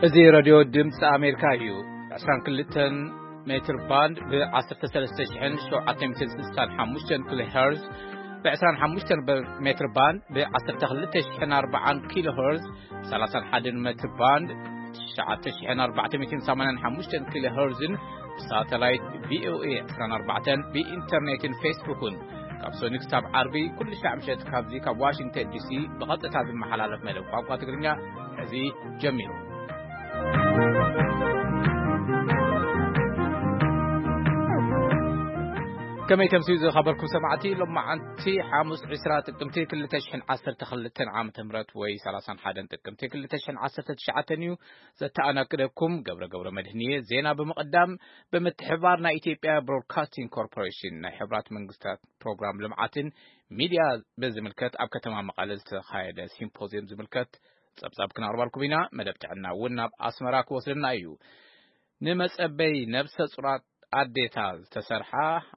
እዚ ሬድዮ ድምፂ ኣሜሪካ እዩ። ዕስራን ክልተን ሜትር ባንድ ብ ዓሰርተ ሰለስተ ሽሕን ሸውዓተ ሚእትን ስሳን ሓሙሽተን ኪሎ ሄርዝ፣ ብ ዕስራን ሓሙሽተን ሜትር ባንድ ብ ዓሰርተ ክልተ ሽሕን ኣርባዓን ኪሎ ሄርዝ፣ ሰላሳን ሓደን ሜትር ባንድ ትሽዓተ ሽሕን ኣርባዕተ ሚእትን ሰማንያን ሓሙሽተን ኪሎ ሄርዝን ብሳተላይት ቪኦኤ ዕስራን ኣርባዕተን ብኢንተርኔትን ፌስቡክን ካብ ሰኑይ ክሳብ ዓርቢ ኩሉ ሻዕ ምሸት ካብዚ ካብ ዋሽንግተን ዲሲ ብቐጥታ ዝመሓላለፍ መደብ ቋንቋ ትግርኛ እዚ ጀሚሩ። ከመይ ተምስዩ ዝኸበርኩም ሰማዕቲ፣ ሎማዓንቲ ሓሙስ ዕስራ ጥቅምቲ ክልተ ሽሕን ዓሰርተ ክልተን ዓመተ ምህረት ወይ ሰላሳን ሓደን ጥቅምቲ ክልተ ሽሕን ዓሰርተ ትሽዓተን እዩ። ዘተኣናግደኩም ገብረ ገብረ መድህንየ። ዜና ብምቕዳም፣ ብምትሕብባር ናይ ኢትዮጵያ ብሮድካስቲንግ ኮርፖሬሽን ናይ ሕብራት መንግስታት ፕሮግራም ልምዓትን ሚድያ ብዝምልከት ኣብ ከተማ መቐለ ዝተኻየደ ሲምፖዝየም ዝምልከት ጸብጻብ ክነቕርበልኩም ኢና። መደብ ጥዕና እውን ናብ ኣስመራ ክወስደና እዩ። ንመጸበይ ነብሰ ጹራት ኣዴታት ዝተሰርሓ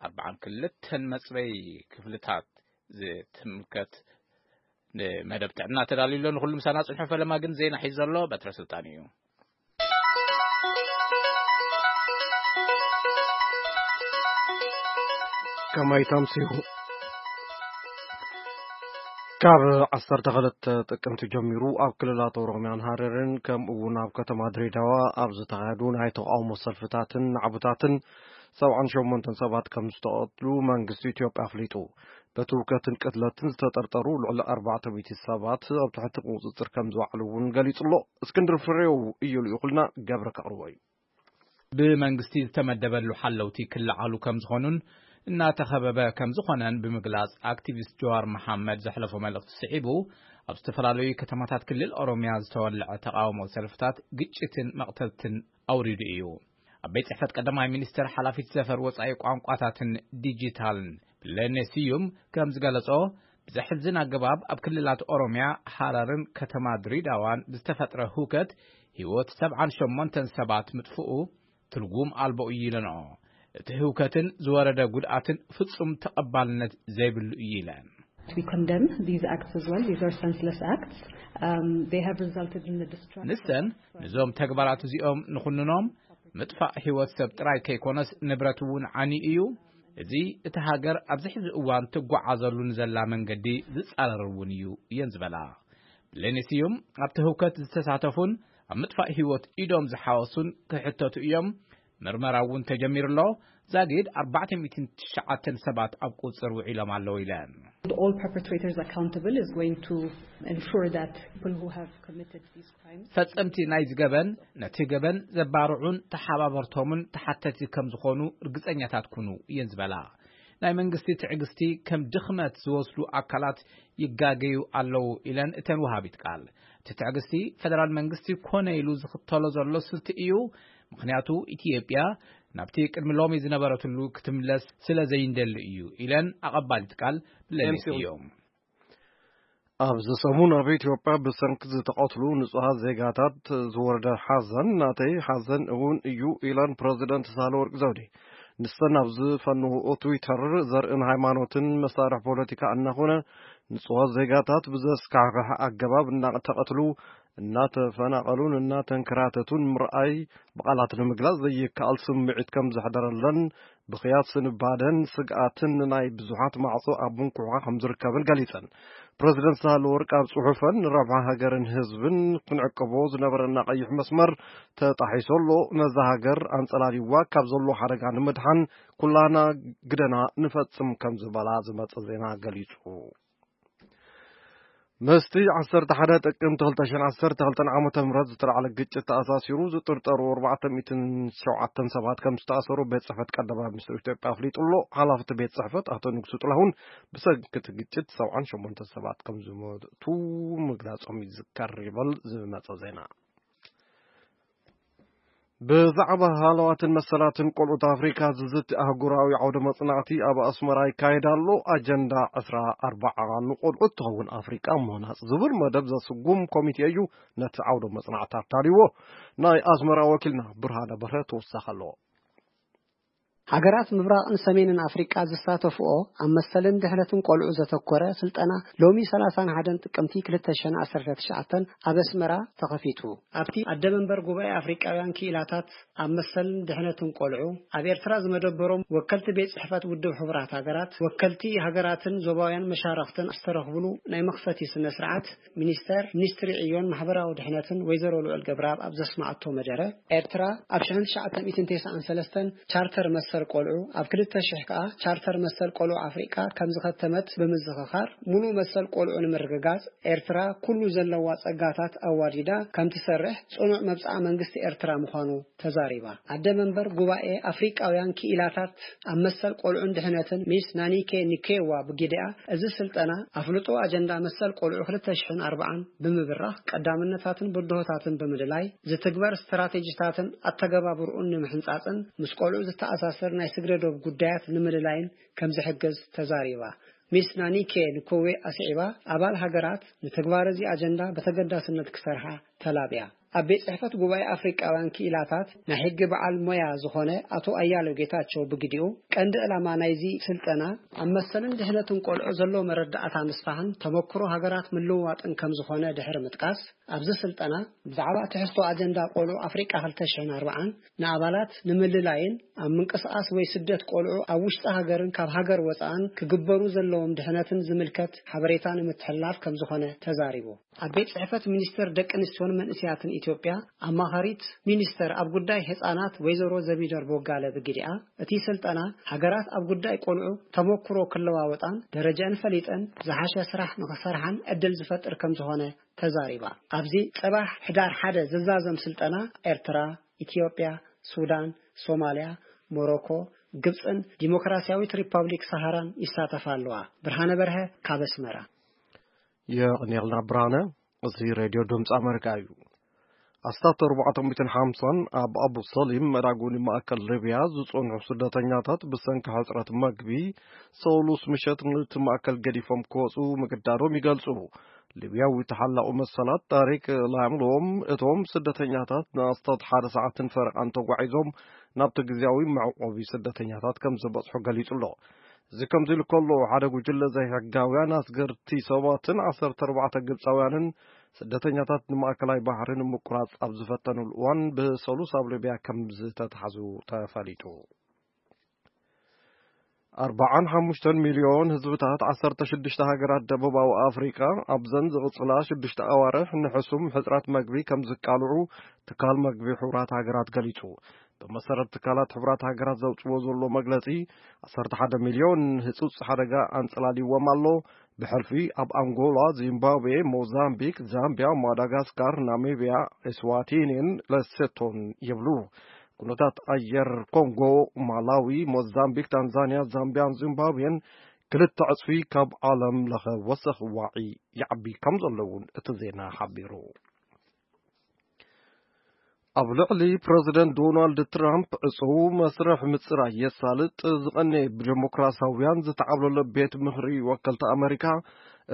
ኣርባዓን ክልተን መጽበይ ክፍልታት ዝትምልከት ንመደብ ጥዕና ተዳልዩ ኣሎ። ንኹሉ ምሳና ጽንሑ። ፈለማ ግን ዜና ሒዙ ዘሎ በትረ ስልጣን እዩ። ከመይ ተምሲሉ? ካብ ዓሰርተ ክልተ ጥቅምቲ ጀሚሩ ኣብ ክልላት ኦሮምያን ሃረርን ከምኡ እውን ኣብ ከተማ ድሬዳዋ ኣብ ዝተኻየዱ ናይ ተቃውሞ ሰልፍታትን ናዕብታትን ሰብዓን ሸሞንተን ሰባት ከም ዝተቐትሉ መንግስቲ ኢትዮጵያ ኣፍሊጡ። በቲ ውከትን ቅትለትን ዝተጠርጠሩ ልዕሊ ኣርባዕተ ሚእቲ ሰባት ኣብ ትሕቲ ቁጽጽር ከም ዝወዓሉ እውን ገሊጹ ኣሎ። እስክንድር ፍሬው እዩ ልኢኹልና፣ ገብረ ከቕርቦ እዩ። ብመንግስቲ ዝተመደበሉ ሓለውቲ ክለዓሉ ከም ዝኾኑን እናተኸበበ ከም ዝኾነን ብምግላጽ፣ ኣክቲቪስት ጀዋር መሓመድ ዘሕለፎ መልእኽቲ ስዒቡ፣ ኣብ ዝተፈላለዩ ከተማታት ክልል ኦሮምያ ዝተወልዐ ተቃውሞ ሰልፍታት ግጭትን መቕተልትን ኣውሪዱ እዩ። ኣብ ቤት ጽሕፈት ቀዳማይ ሚኒስትር ሓላፊት ዘፈር ወጻኢ ቋንቋታትን ዲጂታልን ብለኔ ስዩም ከም ዝገለጾ፣ ብዘሕዝን ኣገባብ ኣብ ክልላት ኦሮምያ፣ ሃረርን ከተማ ድሬዳዋን ብዝተፈጥረ ህውከት ህይወት ሰብዓን ሸሞንተን ሰባት ምጥፍኡ ትርጉም ኣልቦ እዩ ኢለንኦ። እቲ ህውከትን ዝወረደ ጉድኣትን ፍጹም ተቐባልነት ዘይብሉ እዩ ኢለን። We condemn these acts as well. These are senseless acts. Um, they have resulted in the destruction ንሰን of ነዞም ተግባራት እዚኦም ንኹንኖም። ምጥፋእ ህይወት ሰብ ጥራይ ከይኮነስ ንብረት እውን ዓኒ እዩ። እዚ እቲ ሃገር ኣብዚ ሕዚ እዋን ትጓዓዘሉ ንዘላ መንገዲ ዝጻረር እውን እዩ እየን ዝበላ። ብሌኒ ስዩም ኣብቲ ህውከት ዝተሳተፉን ኣብ ምጥፋእ ህይወት ኢዶም ዝሓወሱን ክሕተቱ እዮም። ምርመራ እውን ተጀሚሩ ኣሎ። ዛጊድ ኣርባዕተ ሚእትን ትሽዓተን ሰባት ኣብ ቁጽር ውዒሎም ኣለዉ ኢለን። All perpetrators accountable is going to ensure that people who have committed these crimes ፈጸምቲ ናይዚ ገበን ነቲ ገበን ዘባርዑን ተሓባበርቶምን ተሓተቲ ከም ዝኾኑ ርግጸኛታት ኩኑ እየን ዝበላ። ናይ መንግስቲ ትዕግስቲ ከም ድኽመት ዝወስዱ ኣካላት ይጋገዩ ኣለዉ ኢለን እተን ወሃቢት ቃል። እቲ ትዕግስቲ ፈደራል መንግስቲ ኮነ ኢሉ ዝኽተሎ ዘሎ ስልቲ እዩ። ምኽንያቱ ኢትዮጵያ ናብቲ ቅድሚ ሎሚ ዝነበረትሉ ክትምለስ ስለ ዘይንደሊ እዩ ኢለን ኣቐባሊት ቃል ብሌኒ ኤምሲ ስዩም። ኣብዚ ሰሙን ኣብ ኢትዮጵያ ብሰንኪ ዝተቐትሉ ንጹሃት ዜጋታት ዝወረደ ሓዘን ናተይ ሓዘን እውን እዩ ኢለን ፕረዚደንት ሳህለወርቅ ዘውዴ። ንሰን ኣብ ዝፈነውኦ ትዊተር፣ ዘርእን ሃይማኖትን መሳርሒ ፖለቲካ እናኾነ ንጹሃት ዜጋታት ብዘስካሕክሕ ኣገባብ እናተቐትሉ፣ እናተፈናቐሉን እናተንከራተቱን ምርኣይ ብቓላት ንምግላጽ ዘይከኣል ስምዒት ከም ዘሕደረለን፣ ብኽያት ስንባደን ስግኣትን ንናይ ብዙሓት ማዕጾ ኣብ ምንኩሕኳ ከም ዝርከብን ገሊጸን። ፕረዚደንት ሳህለወርቅ ኣብ ጽሑፈን፣ ንረብሓ ሃገርን ህዝብን ክንዕቅቦ ዝነበረና ቀይሕ መስመር ተጣሒሱ ኣሎ። ነዛ ሃገር ኣንጸላልይዋ ካብ ዘሎ ሓደጋ ንምድሓን ኩላና ግደና ንፈጽም ከም ዝበላ ዝመጸ ዜና ገሊጹ። ምስቲ ዓሰርተ ሓደ ጥቅምቲ ክልተ ሽሕን ዓሰርተ ክልተን ዓመተ ምህረት ዝተላዕለ ግጭት ተኣሳሲሩ ዝጥርጠሩ ኣርባዕተ ሚእትን ሸውዓተን ሰባት ከም ዝተኣሰሩ ቤት ጽሕፈት ቀዳማይ ሚኒስትር ኢትዮጵያ ኣፍሊጡ ኣሎ። ሓላፊ እቲ ቤት ጽሕፈት ኣቶ ንጉሱ ጥላሁን ብሰንኪ እቲ ግጭት ሰብዓን ሸሞንተን ሰባት ከም ዝሞቱ ምግላጾም ይዝከር ይብል ዝመጸ ዜና። ብዛዕባ ሃለዋትን መሰላትን ቆልዑት ኣፍሪካ ዝዝቲ ኣህጉራዊ ዓውደ መጽናዕቲ ኣብ ኣስመራ ይካየድ ኣሎ። ኣጀንዳ ዕስራ ኣርባዓ ንቆልዑት ትኸውን ኣፍሪቃ ምህናጽ ዝብል መደብ ዘስጉም ኮሚቴ እዩ ነቲ ዓውደ መጽናዕቲ ኣዳልይዎ። ናይ ኣስመራ ወኪልና ብርሃነ በርሀ ተወሳኺ ኣለዎ። ኣገራት ምብራቕን ሰሜንን ኣፍሪቃ ዝሳተፍኦ ኣብ መሰልን ድሕነትን ቆልዑ ዘተኮረ ስልጠና ሎሚ ሰላሳን ሓደን ጥቅምቲ ክልተ ሽሕን ዓሰርተ ትሽዓተን ኣብ ኣስመራ ተኸፊቱ። ኣብቲ ኣደ መንበር ጉባኤ ኣፍሪቃውያን ክኢላታት ኣብ መሰልን ድሕነትን ቆልዑ ኣብ ኤርትራ ዝመደበሮም ወከልቲ ቤት ጽሕፈት ውድብ ሕቡራት ሃገራት፣ ወከልቲ ሃገራትን ዞባውያን መሻረኽትን ዝተረኽብሉ ናይ መኽፈቲ ስነ ስርዓት ሚኒስተር ሚኒስትሪ ዕዮን ማሕበራዊ ድሕነትን ወይዘሮ ልዑል ገብረኣብ ኣብ ዘስማዓቶ መደረ፣ ኤርትራ ኣብ ሽሕን ትሽዓተ ሚእትን ተስዓን ሰለስተን ቻርተር መሰል ቆልዑ፣ ኣብ ክልተ ሽሕ ከኣ ቻርተር መሰል ቆልዑ ኣፍሪቃ ከም ዝኸተመት ብምዝኽኻር፣ ሙሉእ መሰል ቆልዑ ንምርግጋጽ ኤርትራ ኩሉ ዘለዋ ጸጋታት ኣዋዲዳ ከም ትሰርሕ ጽኑዕ መብጽዓ መንግስቲ ኤርትራ ምዃኑ ተዛሪባ። ኣደ መንበር ጉባኤ ኣፍሪቃውያን ክኢላታት ኣብ መሰል ቆልዑን ድሕነትን ሚስ ናኒኬ ኒኬዋ ብጊዲኣ፣ እዚ ስልጠና ኣፍልጦ ኣጀንዳ መሰል ቆልዑ ክልተ ሽሕን ኣርባዓን ብምብራኽ ቀዳምነታትን ብድሆታትን ብምልላይ ዝትግበር ስትራቴጂታትን ኣተገባብርኡን ንምሕንጻጽን ምስ ቆልዑ ዝተኣሳሰር ናይ ስግረ ዶብ ጉዳያት ንምልላይን ከም ዝሕግዝ ተዛሪባ። ሚስ ናኒኬ ንኮዌ ኣስዒባ፣ ኣባል ሃገራት ንትግባር እዚ ኣጀንዳ ብተገዳስነት ክሰርሓ ተላብያ። ኣብ ቤት ጽሕፈት ጉባኤ ኣፍሪቃውያን ክኢላታት ናይ ሕጊ በዓል ሞያ ዝኾነ ኣቶ ኣያሌው ጌታቸው ብግዲኡ፣ ቀንዲ ዕላማ ናይዚ ስልጠና ኣብ መሰልን ድሕነትን ቆልዑ ዘሎ መረዳእታ ምስፋሕን ተመክሮ ሃገራት ምልውዋጥን ከም ዝኾነ ድሕሪ ምጥቃስ፣ ኣብዚ ስልጠና ብዛዕባ ትሕዝቶ ኣጀንዳ ቆልዑ ኣፍሪቃ ክልተ ሽሕን ኣርባዓን ንኣባላት ንምልላይን ኣብ ምንቅስቓስ ወይ ስደት ቆልዑ ኣብ ውሽጢ ሃገርን ካብ ሃገር ወጻእን ክግበሩ ዘለዎም ድሕነትን ዝምልከት ሓበሬታ ንምትሕልላፍ ከም ዝኾነ ተዛሪቡ። ኣብ ቤት ጽሕፈት ሚኒስተር ደቂ ኣንስትዮን መንእስያትን ኢትዮጵያ ኣማኻሪት ሚኒስተር ኣብ ጉዳይ ህጻናት ወይዘሮ ዘቢደር ቦጋለ ብግዲኣ፣ እቲ ስልጠና ሃገራት ኣብ ጉዳይ ቆልዑ ተመክሮ ክለዋወጣን ደረጃን ፈሊጠን ዝሓሸ ስራሕ ንኽሰርሓን ዕድል ዝፈጥር ከም ዝኾነ ተዛሪባ። ኣብዚ ጽባሕ ሕዳር ሓደ ዝዛዘም ስልጠና ኤርትራ፣ ኢትዮጵያ፣ ሱዳን፣ ሶማልያ፣ ሞሮኮ፣ ግብጽን ዲሞክራሲያዊት ሪፐብሊክ ሰሃራን ይሳተፋ ኣለዋ። ብርሃነ በርሀ ካብ ኣስመራ። የቕንየልና ብርሃነ። እዚ ሬድዮ ድምፂ ኣመሪካ እዩ። ኣስታት ኣርባዕተ ሚእትን ሓምሳን ኣብ ኣቡ ሰሊም መዳጎኒ ማእከል ሊብያ ዝጸንሑ ስደተኛታት ብሰንኪ ሕጽረት መግቢ ሰሉስ ምሸት ነቲ ማእከል ገዲፎም ክወጹ ምግዳዶም ይገልጹ። ሊብያዊ ተሓላቒ መሰላት ጣሪቅ ላምሎም፣ እቶም ስደተኛታት ንኣስታት ሓደ ሰዓትን ፈረቓን ተጓዒዞም ናብቲ ግዝያዊ መዕቆቢ ስደተኛታት ከም ዝበጽሑ ገሊጹ ኣሎ። እዚ ከምዚ ኢሉ ከሎ፣ ሓደ ጉጅለ ዘይሕጋውያን ኣስገርቲ ሰባትን ዓሰርተ ኣርባዕተ ግብጻውያንን ስደተኛታት ንማእከላይ ባሕሪ ንምቁራጽ ኣብ ዝፈተኑሉ እዋን ብሰሉስ ኣብ ሊብያ ከም ዝተታሕዙ ተፈሊጡ። ኣርባዓን ሓሙሽተን ሚልዮን ህዝብታት ዓሰርተ ሽዱሽተ ሃገራት ደቡባዊ ኣፍሪቃ ኣብዘን ዝቕጽላ ሽዱሽተ ኣዋርሕ ንሕሱም ሕጽረት መግቢ ከም ዝቃልዑ ትካል መግቢ ሕቡራት ሃገራት ገሊጹ። ብመሰረት ትካላት ሕቡራት ሃገራት ዘውጽዎ ዘሎ መግለጺ፣ ዓሰርተ ሓደ ሚልዮን ህጹጽ ሓደጋ ኣንጸላልይዎም ኣሎ። ብሕልፊ ኣብ ኣንጎላ፣ ዚምባብዌ፣ ሞዛምቢክ፣ ዛምቢያ፣ ማዳጋስካር፣ ናሚብያ፣ ኤስዋቲኒን ለሴቶን ይብሉ። ኩነታት ኣየር ኮንጎ፣ ማላዊ፣ ሞዛምቢክ፣ ታንዛንያ፣ ዛምቢያን ዚምባብዌን ክልተ ዕጽፊ ካብ ዓለም ለኸ ወሰኽ ዋዒ ይዓቢ ከም ዘሎ እውን እቲ ዜና ሓቢሩ። ኣብ ልዕሊ ፕረዚደንት ዶናልድ ትራምፕ ዕጹው መስርሕ ምጽራይ የሳልጥ ዝቐነየ ብደሞክራሲያውያን ዝተዓብለሎ ቤት ምኽሪ ወከልቲ ኣመሪካ፣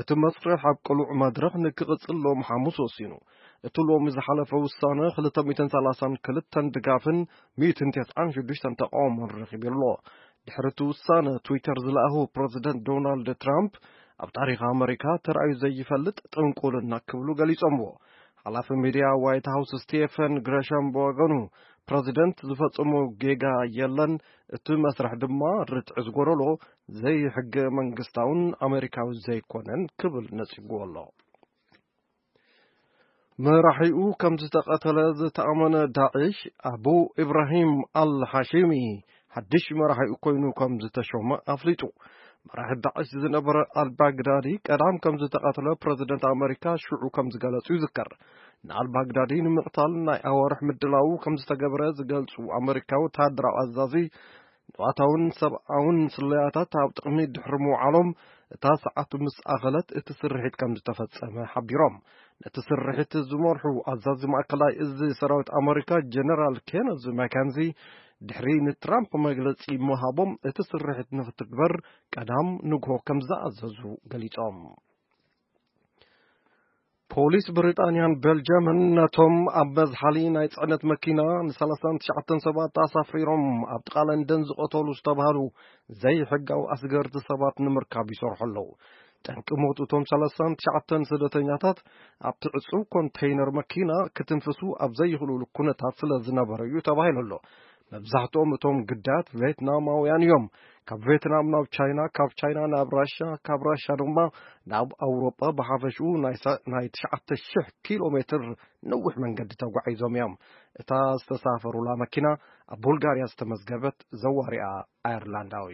እቲ መስርሕ ኣብ ቅሉዕ መድረኽ ንክቕጽል ሎም ሓሙስ ወሲኑ። እቲ ሎሚ ዝሓለፈ ውሳነ ክልተ ሚእትን ሰላሳን ክልተን ድጋፍን ሚእትን ተስዓን ሽዱሽተን ተቓውሞን ረኺቡ ኣሎ። ድሕሪ እቲ ውሳነ ትዊተር ዝለኣኹ ፕረዚደንት ዶናልድ ትራምፕ፣ ኣብ ታሪኽ ኣመሪካ ተራእዩ ዘይፈልጥ ጥንቁልና ክብሉ ገሊጾምዎ። ሓላፊ ሚድያ ዋይት ሃውስ ስቴፈን ግረሻም ብወገኑ፣ ፕረዚደንት ዝፈጸሞ ጌጋ የለን፣ እቲ መስርሕ ድማ ርትዒ ዝጎደሎ፣ ዘይሕገ መንግስታውን ኣመሪካዊ ዘይኮነን ክብል ነጺግዎ ኣሎ። መራሒኡ ከም ዝተቐተለ ዝተኣመነ ዳዕሽ፣ ኣቡ ኢብራሂም ኣል ሃሺሚ፣ ሓድሽ መራሒኡ ኮይኑ ከም ዝተሾመ ኣፍሊጡ። መራሒ ዳዕሽ ዝነበረ ኣልባግዳዲ ቀዳም ከም ዝተቐተለ ፕረዚደንት ኣመሪካ ሽዑ ከም ዝገለጹ ይዝከር። ንኣልባግዳዲ ንምቕታል ናይ ኣዋርሕ ምድላው ከም ዝተገበረ ዝገልጹ ኣመሪካዊ ወተሃደራዊ ኣዛዚ፣ ንዋታውን ሰብኣውን ስለያታት ኣብ ጥቕሚ ድሕሪ ምውዓሎም፣ እታ ሰዓቱ ምስ ኣኸለት እቲ ስርሒት ከም ዝተፈጸመ ሓቢሮም። ነቲ ስርሒት ዝመርሑ ኣዛዚ ማእከላይ እዚ ሰራዊት ኣመሪካ ጀነራል ኬነዝ ማካንዚ፣ ድሕሪ ንትራምፕ መግለጺ ምሃቦም፣ እቲ ስርሒት ንኽትግበር ቀዳም ንግሆ ከም ዝኣዘዙ ገሊጾም። ፖሊስ ብሪጣንያን ቤልጅየምን ነቶም ኣብ መዝሓሊ ናይ ጽዕነት መኪና ን39 ሰባት ኣሳፊሮም ኣብ ጥቓ ለንደን ዝቐተሉ ዝተባህሉ ዘይሕጋዊ ኣስገርቲ ሰባት ንምርካብ ይሰርሑ ኣለዉ። ጠንቂ ሞት እቶም 39 ስደተኛታት ኣብቲ ዕጹው ኮንተይነር መኪና ክትንፍሱ ኣብ ዘይኽእሉሉ ኩነታት ስለ ዝነበረ እዩ ተባሂሉ ኣሎ። መብዛሕትኦም እቶም ግዳያት ቬትናማውያን እዮም። ካብ ቬትናም ናብ ቻይና፣ ካብ ቻይና ናብ ራሻ፣ ካብ ራሻ ድማ ናብ ኣውሮጳ ብሓፈሽኡ ናይ ሳ- ናይ 9,000 ኪሎ ሜትር ነዊሕ መንገዲ ተጓዒዞም እዮም። እታ ዝተሳፈሩላ መኪና ኣብ ቡልጋርያ ዝተመዝገበት ዘዋሪኣ ኣየርላንዳዊ።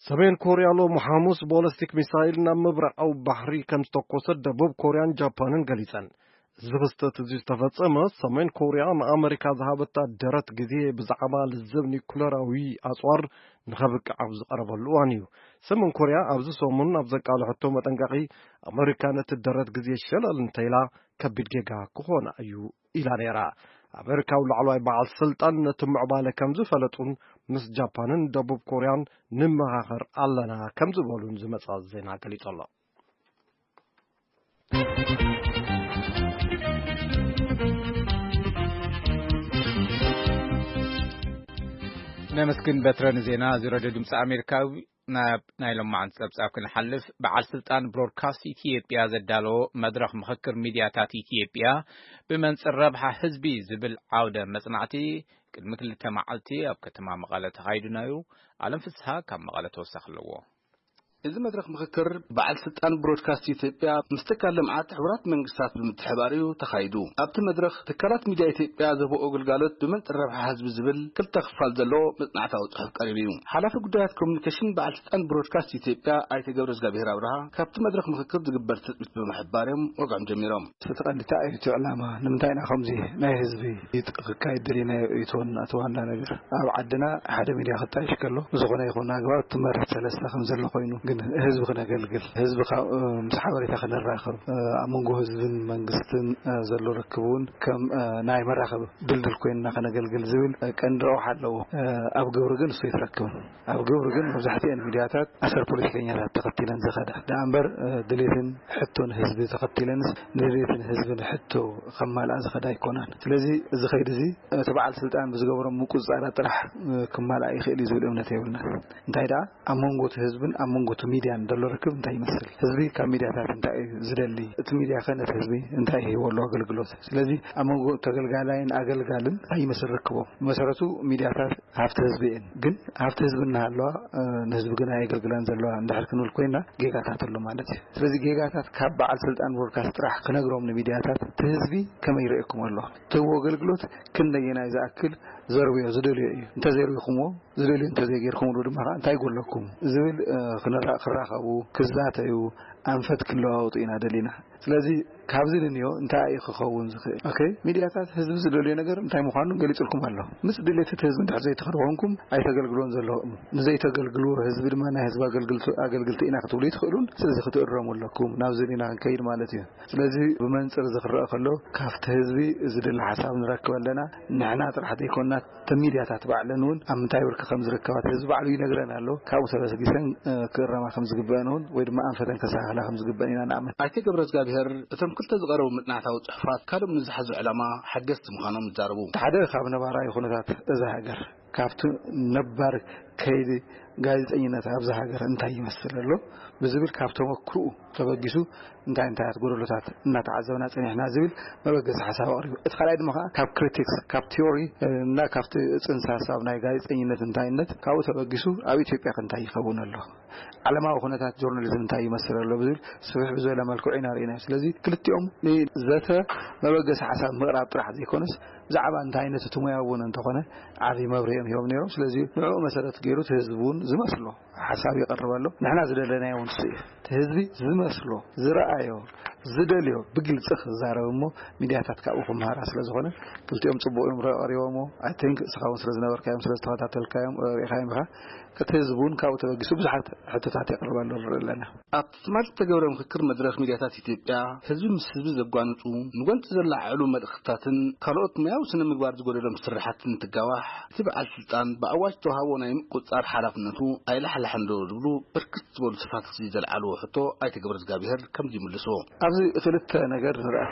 ሰሜን ኮርያ ሎሚ ሓሙስ ቦለስቲክ ሚሳይል ናብ ምብራቓዊ ባሕሪ ከም ዝተኮሰት ደቡብ ኮርያን ጃፓንን ገሊጸን። እዚ ክስተት እዚ ዝተፈጸመ ሰሜን ኮርያ ንኣመሪካ ዝሃበታ ደረት ግዜ ብዛዕባ ልዝብ ኒኩለራዊ ኣጽዋር ንኸብቅዕ ኣብ ዝቐረበሉ እዋን እዩ። ሰሜን ኮርያ ኣብዚ ሰሙን ኣብ ዘቃልሐቶ መጠንቀቒ ኣመሪካ ነቲ ደረት ግዜ ሸለል እንተኢላ ከቢድ ጌጋ ክኾና እዩ ኢላ ነይራ። ኣመሪካዊ ላዕለዋይ በዓል ስልጣን ነቲ ምዕባለ ከም ዝፈለጡን ምስ ጃፓንን ደቡብ ኮርያን ንመኻኸር ኣለና ከም ዝበሉን ዝመጻ ዜና ገሊጹ ኣሎ። ነመስግን በትረ ንዜና እዚ ሬድዮ ድምፂ ኣሜሪካ። ናብ ናይ ሎማዓንቲ ጸብጻብ ክንሓልፍ፣ በዓል ስልጣን ብሮድካስት ኢትዮጵያ ዘዳለዎ መድረኽ ምኽክር ሚድያታት ኢትዮጵያ ብመንጽር ረብሓ ህዝቢ ዝብል ዓውደ መጽናዕቲ ቅድሚ ክልተ መዓልቲ ኣብ ከተማ መቐለ ተኻይዱ ነይሩ። ኣለም ፍስሃ ካብ መቐለ ተወሳኺ ኣለዎ። እዚ መድረኽ ምኽክር በዓል ስልጣን ብሮድካስት ኢትዮጵያ ምስ ትካል ልምዓት ሕቡራት መንግስታት ብምትሕባር እዩ ተኻይዱ። ኣብቲ መድረኽ ትካላት ሚድያ ኢትዮጵያ ዝህብኦ ግልጋሎት ብመንጽር ረብሓ ህዝቢ ዝብል ክልተ ክፋል ዘለዎ መጽናዕታዊ ጽሑፍ ቀሪቡ እዩ። ሓላፊ ጉዳያት ኮሚኒኬሽን በዓል ስልጣን ብሮድካስት ኢትዮጵያ ኣይተ ገብረ እግዚኣብሔር ኣብርሃ ካብቲ መድረኽ ምኽክር ዝግበር ትጽቢት ብምሕባር እዮም ወግዖም ጀሚሮም። እቲ ቀንዲ እንታይ እዩ እቲ ዕላማ? ንምንታይ ኢና ከምዚ ናይ ህዝቢ ይጥ-፣ ክካየድ ደሊናዮ? እዩ እቲ ዋና፣ እቲ ዋና ነገር። ኣብ ዓድና ሓደ ሚድያ ክጣየሽ ከሎ ብዝኾነ ይኹን ኣግባብ ትመርሕ ሰለስተ ከም ዘሎ ኮይኑ፣ ግን ህዝቢ ክነገልግል፣ ህዝቢ ካብ፣ እ፣ ምስ ሓበሬታ ክነራኽብ፣ እ፣ ኣብ መንጎ ህዝብን መንግስትን፣ እ፣ ዘሎ ርክብ እውን ከም፣ እ፣ ናይ መራኸቢ ድልድል ኮይንና ከነገልግል ዝብል፣ እ፣ ቀንዲ ረብሓ ኣለዎ። እ፣ ኣብ ግብሪ ግን እሱ ኣይትረክብን። ኣብ ግብሪ ግን መብዛሕትኤን ሚድያታት ኣሰር ፖለቲከኛታት ተኸቲለን ዝኸዳ ደኣ እምበር፣ እ፣ ድሌትን ሕቶን ህዝቢ ተኸቲለንስ ንድሌትን ህዝብን ሕቶ ከማልኣ ዝኸዳ ኣይኮናን። ስለዚ እዚ ኸይዲ እዚ እቲ በዓል ስልጣን ብዝገበሮም ምቁጽጻራት ጥራሕ፣ እ፣ ክማልኣ ይኽእል እዩ ዝብል እምነት የብልናን። እንታይ ደኣ ኣብ መንጎ እቲ ህዝብን ኣብ መንጎ እቲ ሚድያን ዘሎ ርክብ እንታይ ይመስል? ህዝቢ ካብ ሚድያታት እንታይ እዩ ዝደሊ? እቲ ሚድያ ከ ነቲ ህዝቢ እንታይ ይህቦ ኣሎ ኣገልግሎት? ስለዚ ኣብ መንጎ ተገልጋላይን ኣገልጋልን እንታይ ይመስል ርክቦም? ብመሰረቱ ሚድያታት ሃፍቲ ህዝቢ እየን። ግን ሃፍቲ ህዝቢ እናሃለዋ፣ እ፣ ንህዝቢ ግን ኣየገልግላን ዘለዋ እንድሕር ክንብል ኮይና ጌጋታት ኣሎ ማለት እዩ። ስለዚ ጌጋታት ካብ በዓል ስልጣን ብሮድካስት ጥራሕ ክነግሮም ንሚድያታት እቲ ህዝቢ ከመይ ይርእየኩም ኣሎ? ትህቦ ኣገልግሎት ክንደየናይ ዝኣክል ዘርብዮ ዝደልዮ እዩ? እንተዘርቢኹምዎ ዝደልዮ እንተዘይጌርኩምሉ ድማ ከዓ እንታይ ጎለኩም ዝብል፣ እ፣ ክንራ-፣ ክራኸቡ፣ ክዛተዩ፣ ኣንፈት ክለዋወጡ ኢና ደሊና። ስለዚ ካብዚ ንንዮ እንታይ እዩ ክኸውን ዝኽእል? ኦኬ፣ ሚድያታት ህዝቢ ዝደልዮ ነገር እንታይ ምዃኑ ገሊጹልኩም ኣሎ። ምስ ድሌት እቲ ህዝቢ እንድሕር ዘይትኸዱ ኮንኩም ኣይተገልግሎን ዘለኹም። ንዘይተገልግልዎ ህዝቢ ድማ ናይ ህዝቢ ኣገልግልቲ፣ ኣገልግልቲ ኢና ክትብሉ ይትኽእሉን። ስለዚ ክትእረሙ ኣለኩም። ናብዚ ኢና ክንከይድ ማለት እዩ። ስለዚ ብመንጽር እዚ ክረአ ከሎ ካብቲ ህዝቢ ዝድለ ሓሳብ ንረክብ ኣለና። ንሕና ጥራሕ ዘይኮንና እተን ሚድያታት ባዕለን እውን ኣብ ምንታይ ብርኪ ከም ዝርከባ እቲ ህዝቢ ባዕሉ ይነግረን ኣሎ። ካብኡ ተበስጊሰን፣ እ፣ ክእረማ ከም ዝግበአን እውን ወይ ድማ ኣንፈተን ከስተኻኽላ ከም ዝግበአን ኢና ንኣምን። ኣይተ ገብረ እግዚኣብሔር እቶም ክልተ ዝቐረቡ መጽናዕታዊ ጽሑፋት ካልኦም ንዝሓዙ ዕላማ ሓገዝቲ ምዃኖም ይዛረቡ። እቲ ሓደ ካብ ነባራዊ ኩነታት እዛ ሃገር፣ ካብቲ ነባር ከይዲ ጋዜጠኝነት ኣብዛ ሃገር እንታይ ይመስል ኣሎ ብዝብል ካብ ተመክርኡ ተበጊሱ እንታይ እንታይ ጎደሎታት እናተዓዘብና ጸኒሕና ዝብል መበገሲ ሓሳብ ኣቕሪቡ። እቲ ካልኣይ ድማ ከኣ ካብ ክሪቲክስ፣ ካብ ቲዮሪ እና ካብቲ ጽንሰ ሓሳብ ናይ ጋዜጠኝነት እንታይነት ካብኡ ተበጊሱ ኣብ ኢትዮጵያ ከ እንታይ ይኸውን ኣሎ፣ ዓለማዊ ኩነታት ጆርናሊዝም እንታይ ይመስል ኣሎ ብዝብል ስፍሕ ብዝበለ መልክዑ ኢና ርኢናዮ። ስለዚ ክልቲኦም ንዘተ መበገሲ ሓሳብ ምቕራብ ጥራሕ ዘይኮነስ ብዛዕባ እንታይ ዓይነት እቲ ሙያ እውን እንተኾነ ዓብዪ መብርሂ እዮም ሂቦም ነይሮም። ስለዚ ንዕኡ መሰረት ገይሩ እቲ ህዝቢ እውን ዝመስሎ ሓሳብ ይቐርብ ኣሎ። ንሕና ዝደለናዮ እውን እሱ እዩ። እቲ ህዝቢ ዝመስሎ፣ ዝረኣዮ፣ ዝደልዮ ብግልጺ ክዛረብ እሞ፣ ሚድያታት ካብኡ ክመሃራ ስለ ዝኾነ፣ ክልቲኦም ጽቡቕ እዮም ረ-፣ ቀሪቦሞ። I think እስኻ እውን ስለ ዝነበርካዮም፣ ስለ ዝተኸታተልካዮም፣ ርኢኻዮም ኢኻ። እቲ ህዝቢ እውን ካብኡ ተበጊሱ ብዙሓት ሕቶታት የቕርበሉ ንርኢ ኣለና። ኣብቲ ትማሊ ዝተገብረ ምክክር መድረኽ ሚድያታት ኢትዮጵያ፣ ህዝቢ ምስ ህዝቢ ዘጓንጹ፣ ንጎንጺ ዘላዓዕሉ መልእኽትታትን ካልኦት ሙያዊ ስነ ምግባር ዝጎደሎም ስርሓትን እንትጋዋሕ፣ እቲ በዓል ስልጣን ብኣዋጅ ዝተዋሃቦ ናይ ምቁጽጻር ሓላፍነቱ ኣይላሕላሕን ዶ ዝብሉ ብርክት ዝበሉ ተሳተፍቲ ዘልዓልዎ ሕቶ ኣይተ ገብረ እግዚኣብሔር ከምዚ ይምልሶ። ኣብዚ ክልተ ነገር ንርኣ።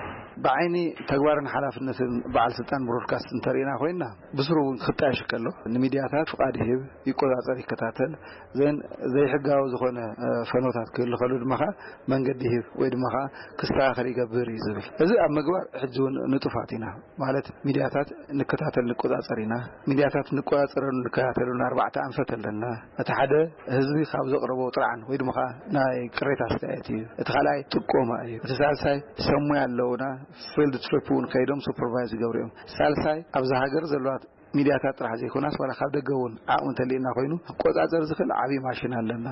ብዓይኒ ተግባርን ሓላፍነትን በዓል ስልጣን ብሮድካስት እንተርኢና ኮይና፣ ብስሩ እውን ክጣየሽ ከሎ፣ ንሚድያታት ፍቓድ ይህብ፣ ይቆጻጸር፣ ይከታተል። ዘን-፣ ዘይሕጋዊ ዝኾነ፣ እ፣ ፈኖታት ክህሉ ከሎ ድማ ኸዓ መንገዲ ይህብ ወይ ድማ ኸዓ ክስተኻኸል ይገብር እዩ ዝብል። እዚ ኣብ ምግባር ሕጂ እውን ንጡፋት ኢና። ማለት ሚድያታት ንከታተል ንቆጻጸር ኢና። ሚድያታት ንቆጻጸረሉ ንከታተሉን ኣርባዕተ ኣንፈት ኣለና። እቲ ሓደ ህዝቢ ካብ ዘቕረቦ ጥርዓን ወይ ድማ ኸዓ ናይ ቅሬታ ኣስተያየት እዩ። እቲ ካልኣይ ጥቆማ እዩ። እቲ ሳልሳይ ሰብ ሞያ ኣለውና፣ ፊልድ ትሪፕ እውን ከይዶም ሱፐርቫይዝ ይገብሩ እዮም። ሳልሳይ ኣብዛ ሃገር ዘለዋ ሚድያታት ጥራሕ ዘይኮናስ ዋላ ካብ ደገ እውን ዓቕሚ እንተልዩና ኮይኑ ክቆጻጸር ዝኽእል ዓብዪ ማሽን ኣለና።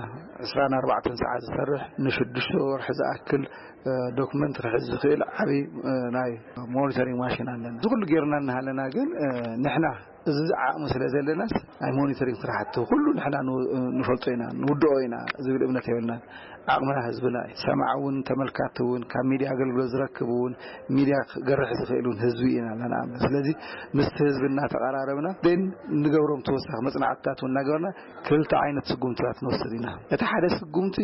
ዕስራን ኣርባዕተን ሰዓት ዝሰርሕ ንሽዱሽተ ወርሒ ዝኣክል፣ እ፣ ዶክመንት ክሕዝ ዝኽእል ዓብዪ፣ እ፣ ናይ ሞኒተሪንግ ማሽን ኣለና። እዚ ኩሉ ጌርና እናሃለና ግን፣ እ፣ ንሕና እዚ ዓቕሚ ስለ ዘለናስ ናይ ሞኒተሪንግ ስራሕቲ ኩሉ ንሕና ን-፣ ንፈልጦ ኢና፣ ንውድኦ ኢና ዝብል እምነት የብልናን። ዓቕምና ህዝብና እዩ። ሰማዕ እውን ተመልካቲ እውን ካብ ሚድያ ኣገልግሎት ዝረክብ እውን ሚድያ ክገርሕ ዝኽእል እውን ህዝቢ ኢና ንኣምን። ስለዚ ምስቲ ህዝቢ እናተቐራረብና ን-፣ ንገብሮም ተወሳኺ መጽናዕትታት እውን እናገበርና ክልተ ዓይነት ስጉምትታት ንወስድ ኢና። እቲ ሓደ ስጉምቲ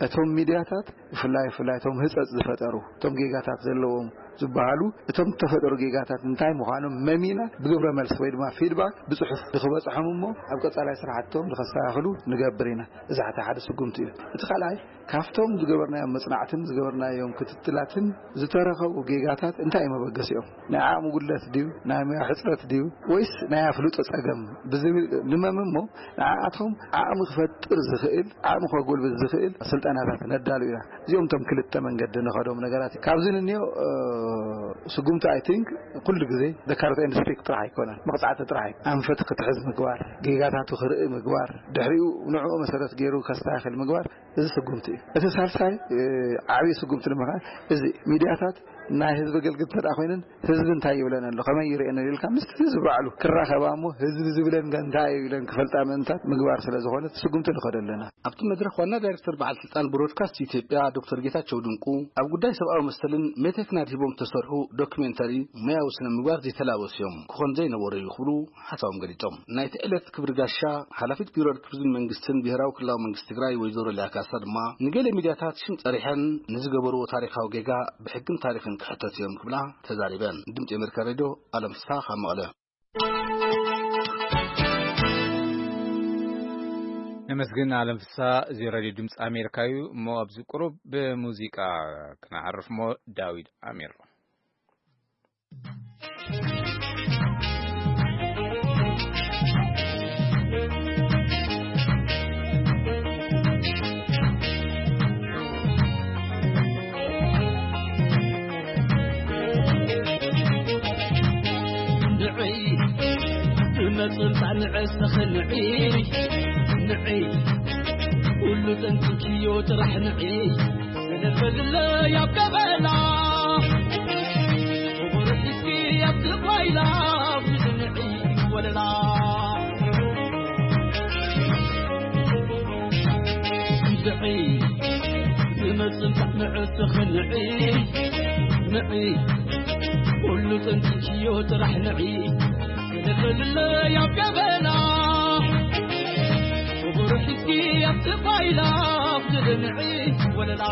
እቶም ሚድያታት ብፍላይ፣ ብፍላይ እቶም ህጸጽ ዝፈጠሩ፣ እቶም ጌጋታት ዘለዎም ዝበሃሉ፣ እቶም ዝተፈጠሩ ጌጋታት እንታይ ምዃኖም መሚና ብግብረ መልሲ ወይ ድማ ፊድባክ ብጽሑፍ ንኽበጽሖም እሞ ኣብ ቀጻላይ ስራሕቶም ንኸስተኻኽሉ ንገብር ኢና። እዚ ሓደ ሓደ ስጉምቲ እዩ። እቲ ካልኣይ ካብቶም ዝገበርናዮም መጽናዕትን ዝገበርናዮም ክትትላትን ዝተረኸቡ ጌጋታት እንታይ እዩ መበገሲኦም? ናይ ዓቕሚ ጉድለት ድዩ? ናይ ሞያ ሕጽረት ድዩ? ወይስ ናይ ኣፍልጦ ጸገም? ብዝብል ንመም እሞ ንዓኣቶም ዓቕሚ ክፈጥር ዝኽእል፣ ዓቕሚ ከጎልብት ዝኽእል ስልጠናታት ነዳሉ ኢና። እዚኦም እቶም ክልተ መንገዲ ንኸዶም ነገራት እዩ። ካብዚ ንንዮ፣ እ፣ ስጉምቲ፣ I think፣ ኩሉ ግዜ the carrot and stick ጥራሕ ኣይኮነን፣ መቕጻዕቲ ጥራሕ ኣይኮነን። ኣንፈት ክትሕዝ ምግባር፣ ጌጋታቱ ክርኢ ምግባር፣ ድሕሪኡ ንዕኡ መሰረት ገይሩ ከስተኻኽል ምግባር፣ እዚ ስጉምቲ እዩ። እቲ ሳልሳይ፣ እ፣ ዓብዪ ስጉምቲ ድማ ኸዓ እዚ ሚድያታት ናይ ህዝቢ ኣገልግልቲ እንተ ደኣ ኮይነን ህዝቢ እንታይ ይብለን ኣሎ፣ ከመይ ይርእየን ኣሎ ኢልካ ምስቲ ህዝቢ ባዕሉ ክራኸባ እሞ ህዝቢ ዝብለን እንታይ እዩ ኢለን ክፈልጣ ምእንታት ምግባር ስለ ዝኾነ እቲ ስጉምቲ ንኸዶ ኣለና። ኣብቲ መድረኽ ዋና ዳይሬክተር በዓል ስልጣን ብሮድካስት ኢትዮጵያ ዶክተር ጌታቸው ድንቁ ኣብ ጉዳይ ሰብኣዊ መሰልን ሜቴክን ኣድሂቦም ዝተሰርሑ ዶክሜንተሪ ሙያዊ ስነ ምግባር ዘይተላበሱ እዮም፣ ክኾን ዘይነበሮ እዩ ክብሉ ሓሳቦም ገሊጾም። ናይቲ ዕለት ክብሪ ጋሻ ሓላፊት ቢሮ ርክብን መንግስትን ብሄራዊ ክልላዊ መንግስቲ ትግራይ ወይዘሮ ሊያ ካሳ ድማ ንገለ ሚድያታት ሽም ጸሪሐን ንዝገበርዎ ታሪኻዊ ጌጋ ብሕግን ታሪኽን ክሕተቱ እዮም ክብላ ተዛሪበን። ድምጺ ኣሜሪካ ሬድዮ ኣለም ፍስሓ ካብ መቐለ። ነመስግን ኣለም ፍስሓ። እዚ ሬድዮ ድምፂ ኣሜሪካ እዩ። እሞ ኣብዚ ቁሩብ ብሙዚቃ ክነዕርፍ እሞ ዳዊት ኣሚር። ንዒ፣ ንመጽንታ ንዕስኺ ንዒ፣ ንዒ፣ ኩሉ ጠንቂቅዮ ጥራሕ ንዒ። ሰለፈ ድለይ ኣብ ገበላ፣ ክቡር ሒዝኪ ኣብ ዝባይላ፣ ብዙ ንዒ ወለላ። ንዒ፣ ንመጽንታ ንዕስኺ ንዒ፣ ንዒ፣ ኩሉ ጠንቂቅዮ ጥራሕ ንዒ። ሰለፈ ድለይ ኣብ ገበላ፣ ክቡር ሒዝኪ ኣብ ዝባይላ፣ ብዙ ንዒ ወለላ።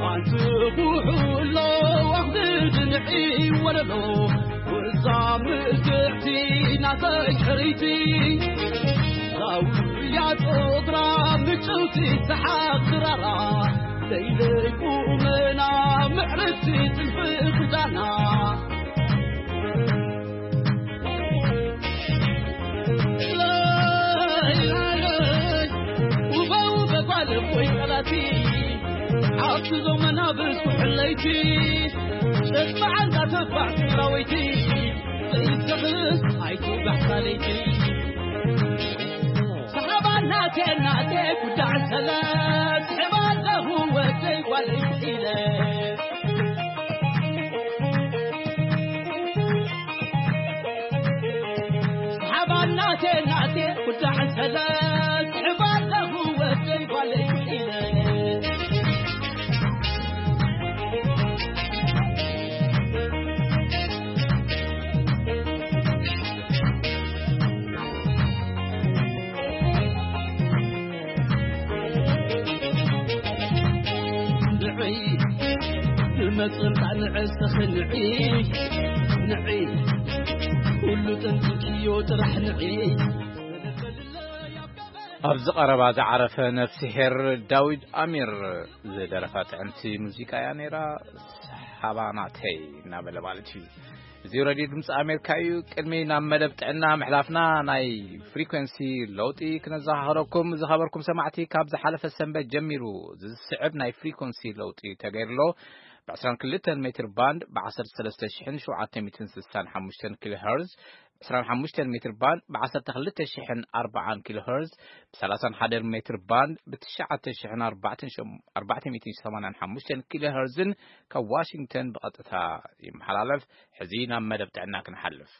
ኣንትጉሑ ኣሎ ዋኽዲ ድንዒ ወለሎ፣ ወዛ ምልክዕቲ ናተይ ሕርይቲ፣ ዛውያ ጾግራ ምጭውቲ ሰሓቕ ድራራ፣ ለይለይ ቁመና ምዕርቲ ጥልፊ ክዳና። ውበ ውበ ጓል እፎይ ቃላቲ፣ ዓብቲ ዞመና ብዝኩ ሕለይቲ፣ ሸት መዓልታ ተፋዕ ትግራወይቲ፣ ዘይትኽስ ኣይትውጋሕ ሳለይቲ። ቴናቴ ጉዳዕ ሰለ ስሕባ ኣለኹ ወደይ ጓለይ ኢለ። ስሓባ ናቴ ናቴ ጉዳዕ ሰለ ስሕባ ኣለኹ ወደይ ጓለይ ኢለ። ንዒ ንመጽንታ ንዕስኺ ንዒ ንዒ ኩሉ ጠንቂቅዮ ጥራሕ ንዒ። ኣብዚ ቀረባ ዝዓረፈ ነፍስሄር ዳዊት ኣሚር ዝደረፋ ጥዕምቲ ሙዚቃ እያ ነይራ። ሰሓባ ናተይ እናበለ ማለት እዩ። እዚ ሬድዮ ድምፂ ኣሜሪካ እዩ። ቅድሚ ናብ መደብ ጥዕና ምሕላፍና ናይ ፍሪኮንሲ ለውጢ ክነዘኻኸረኩም ዝኸበርኩም ሰማዕቲ፣ ካብ ዝሓለፈ ሰንበት ጀሚሩ ዝስዕብ ናይ ፍሪኮንሲ ለውጢ ተገይርሎ። ብ22 ሜትር ባንድ ብ13765 ኪሎ ሄርዝ፣ ብ25 ሜትር ባንድ ብ12040 ኪሎ ሄርዝ፣ ብ31 ሜትር ባንድ ብ9485 ኪሎ ሄርዝን ካብ ዋሽንግተን ብቐጥታ ይመሓላለፍ። ሕዚ ናብ መደብ ጥዕና ክንሓልፍ።